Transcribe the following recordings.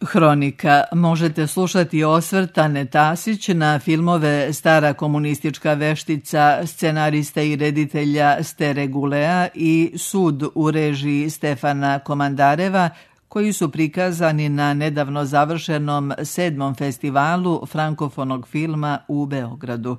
Hronika. Možete slušati osvrt Ane Tasić na filmove Stara komunistička veštica scenarista i reditelja Stere Gulea i Sud u režiji Stefana Komandareva, koji su prikazani na nedavno završenom 7. festivalu frankofonog filma u Beogradu.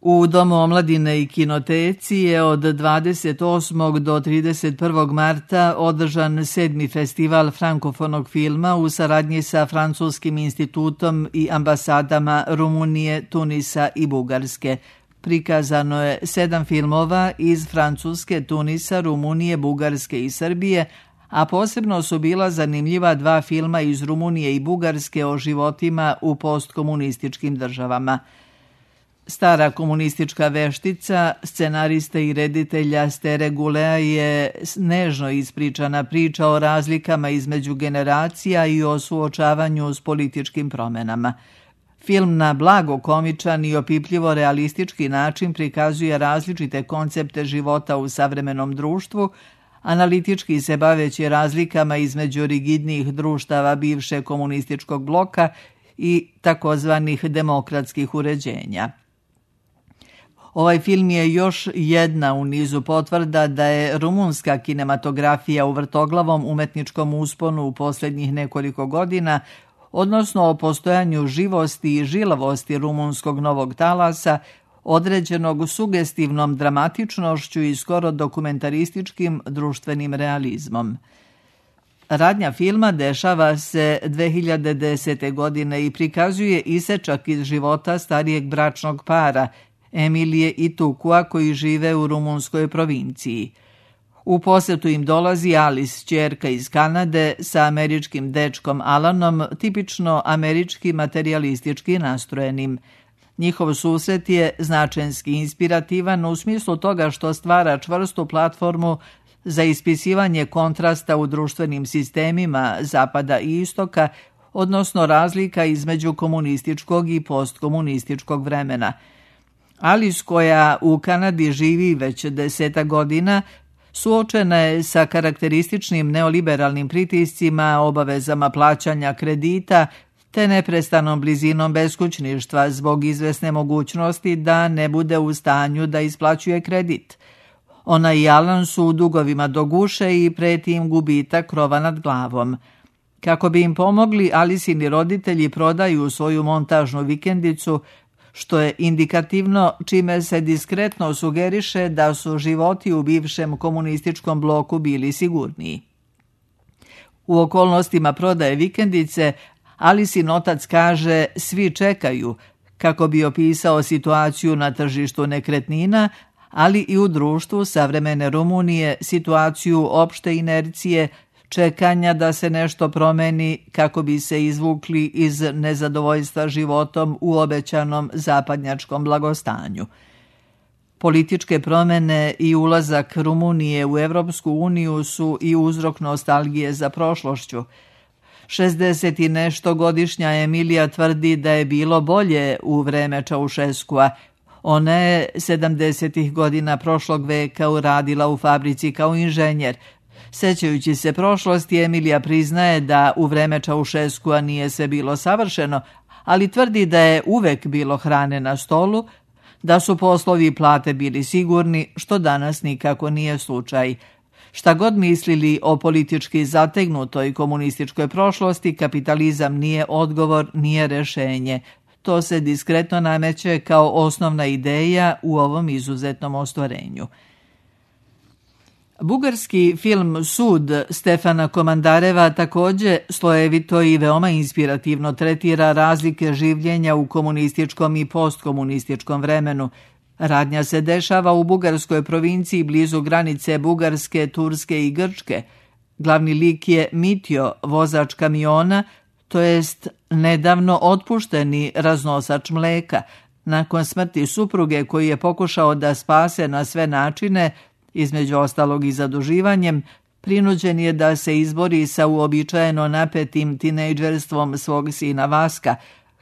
U Domu omladine i kinoteci je od 28. do 31. marta održan 7. festival frankofonog filma u saradnji sa Francuskim institutom i ambasadama Rumunije, Tunisa i Bugarske. Prikazano je 7 filmova iz Francuske, Tunisa, Rumunije, Bugarske i Srbije, a posebno su bila zanimljiva 2 filma iz Rumunije i Bugarske o životima u postkomunističkim državama. Stara komunistička veštica scenarista i reditelja Stere Gulea je nežno ispričana priča o razlikama između generacija i o suočavanju s političkim promenama. Film na blago komičan i opipljivo realistički način prikazuje različite koncepte života u savremenom društvu, analitički se baveći razlikama između rigidnijih društava bivše komunističkog bloka i takozvanih demokratskih uređenja. Ovaj film je još jedna u nizu potvrda da je rumunska kinematografija u vrtoglavom umetničkom usponu u posljednjih nekoliko godina, odnosno o postojanju živosti i žilavosti rumunskog novog talasa, određenog sugestivnom dramatičnošću i skoro dokumentarističkim društvenim realizmom. Radnja filma dešava se 2010. godine i prikazuje isečak iz života starijeg bračnog para, Emilije i Tukua, koji žive u rumunskoj provinciji. U posetu im dolazi Alice, ćerka iz Kanade, sa američkim dečkom Alanom, tipično američki materijalistički nastrojenim. Njihov susret je značenski inspirativan u smislu toga što stvara čvrstu platformu za ispisivanje kontrasta u društvenim sistemima Zapada i Istoka, odnosno razlika između komunističkog i postkomunističkog vremena. Alice, koja u Kanadi živi već 10 godina, suočena je sa karakterističnim neoliberalnim pritiscima, obavezama plaćanja kredita, te neprestanom blizinom beskućništva zbog izvesne mogućnosti da ne bude u stanju da isplaćuje kredit. Ona i Alan su u dugovima do guše i preti im gubitak krova nad glavom. Kako bi im pomogli, Alicini roditelji prodaju svoju montažnu vikendicu, što je indikativno, čime se diskretno sugeriše da su životi u bivšem komunističkom bloku bili sigurniji. U okolnostima prodaje vikendice, Alicin otac kaže svi čekaju, kako bi opisao situaciju na tržištu nekretnina, ali i u društvu savremene Rumunije situaciju opšte inercije, čekanja da se nešto promeni kako bi se izvukli iz nezadovoljstva životom u obećanom zapadnjačkom blagostanju. Političke promene i ulazak Rumunije u Evropsku uniju su i uzrok nostalgije za prošlošću. 60 i nešto godišnja Emilija tvrdi da je bilo bolje u vreme Čaušeskua. Ona je 70. godina prošlog veka uradila u fabrici kao inženjer. Sećajući se prošlosti, Emilija priznaje da u vreme Čaušeskua nije sve bilo savršeno, ali tvrdi da je uvek bilo hrane na stolu, da su poslovi i plate bili sigurni, što danas nikako nije slučaj. Šta god mislili o politički zategnutoj komunističkoj prošlosti, kapitalizam nije odgovor, nije rešenje. To se diskretno nameće kao osnovna ideja u ovom izuzetnom ostvarenju. Bugarski film Sud Stefana Komandareva također slojevito i veoma inspirativno tretira razlike življenja u komunističkom i postkomunističkom vremenu. Radnja se dešava u bugarskoj provinciji blizu granice Bugarske, Turske i Grčke. Glavni lik je Mitjo, vozač kamiona, to jest nedavno otpušteni raznosač mleka. Nakon smrti supruge koji je pokušao da spase na sve načine, između ostalog i zaduživanjem, prinuđen je da se izbori sa uobičajeno napetim tinejdžerstvom svog sina Vaska,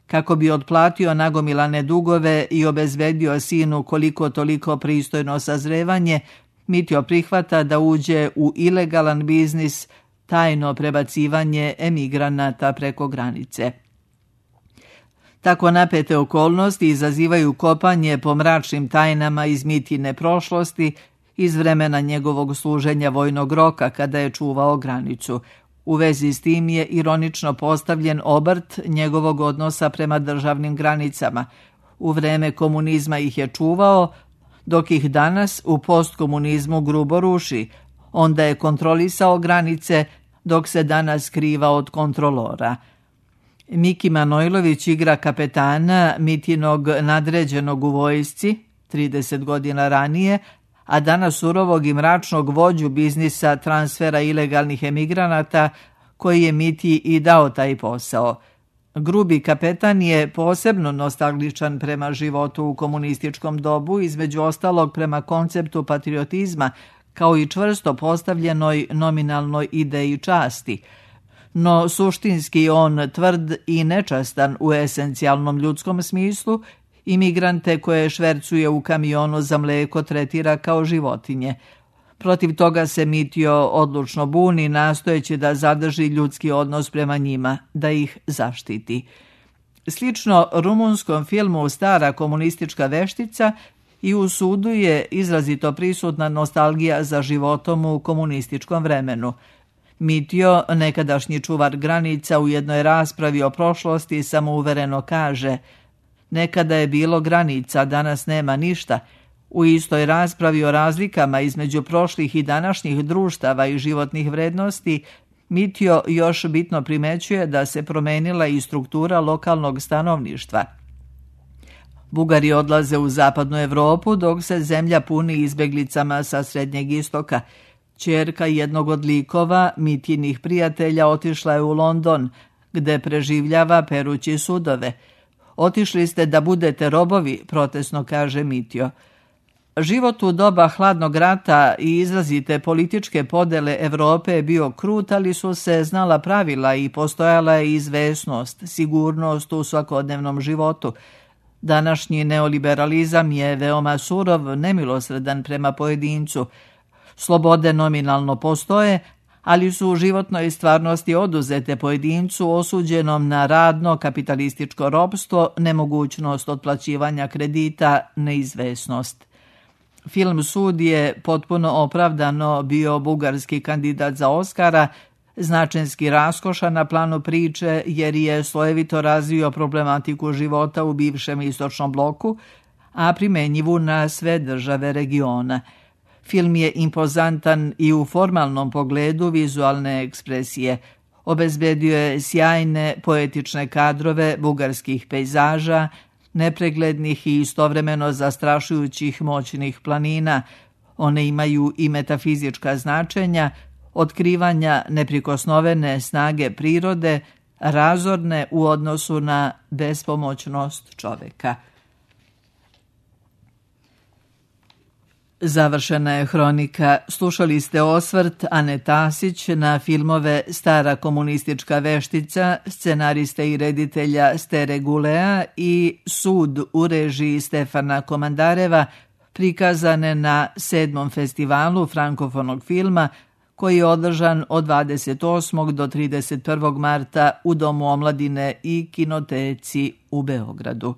kako bi otplatio nagomilane dugove i obezbedio sinu koliko toliko pristojno sazrevanje. Mitjo prihvata da uđe u ilegalan biznis, tajno prebacivanje emigranata preko granice. Tako napete okolnosti izazivaju kopanje po mračnim tajnama iz Mitine prošlosti, iz vremena njegovog služenja vojnog roka kada je čuvao granicu. U vezi s tim je ironično postavljen obrt njegovog odnosa prema državnim granicama. U vreme komunizma ih je čuvao, dok ih danas u postkomunizmu grubo ruši. Onda je kontrolisao granice, dok se danas skriva od kontrolora. Miki Manojlović igra kapetana Mitinog nadređenog u vojsci, 30 godina ranije, a danas surovog i mračnog vođu biznisa transfera ilegalnih emigranata, koji je Miti i dao taj posao. Grubi kapetan je posebno nostalgičan prema životu u komunističkom dobu, između ostalog prema konceptu patriotizma, kao i čvrsto postavljenoj nominalnoj ideji časti. No suštinski on tvrd i nečastan u esencijalnom ljudskom smislu, imigrante koje švercuje u kamionu za mlijeko tretira kao životinje. Protiv toga se Mitio odlučno buni, nastojeći da zadrži ljudski odnos prema njima, da ih zaštiti. Slično rumunskom filmu Stara komunistička veštica, i u Sudu je izrazito prisutna nostalgija za životom u komunističkom vremenu. Mitio, nekadašnji čuvar granica, u jednoj raspravi o prošlosti samouvereno kaže: nekada je bilo granica, danas nema ništa. U istoj raspravi o razlikama između prošlih i današnjih društava i životnih vrednosti, Mitio još bitno primećuje da se promenila i struktura lokalnog stanovništva. Bugari odlaze u zapadnu Evropu, dok se zemlja puni izbeglicama sa Srednjeg istoka. Ćerka jednog od likova, Mitinih prijatelja, otišla je u London, gde preživljava perući sudove. Otišli ste da budete robovi, protesno kaže Mitio. Život u doba hladnog rata i izrazite političke podele Evrope je bio krut, ali su se znala pravila i postojala je izvesnost, sigurnost u svakodnevnom životu. Današnji neoliberalizam je veoma surov, nemilosredan prema pojedincu. Slobode nominalno postoje, ali su u životnoj stvarnosti oduzete pojedincu osuđenom na radno kapitalističko ropstvo, nemogućnost otplaćivanja kredita, neizvesnost. Film Sud je potpuno opravdano bio bugarski kandidat za Oskara, značenski raskošan na planu priče jer je slojevito razvio problematiku života u bivšem istočnom bloku, a primenjivu na sve države regiona. Film je impozantan i u formalnom pogledu vizualne ekspresije. Obezbedio je sjajne poetične kadrove bugarskih pejzaža, nepreglednih i istovremeno zastrašujućih moćnih planina. One imaju i metafizička značenja, otkrivanja neprikosnovene snage prirode, razorne u odnosu na bespomoćnost čoveka. Završena je hronika. Slušali ste osvrt Ane Tasić na filmove Stara komunistička veštica, scenariste i reditelja Stere Gulea, i Sud u režiji Stefana Komandareva, prikazane na 7. festivalu frankofonog filma, koji je održan od 28. do 31. marta u Domu omladine i kinoteci u Beogradu.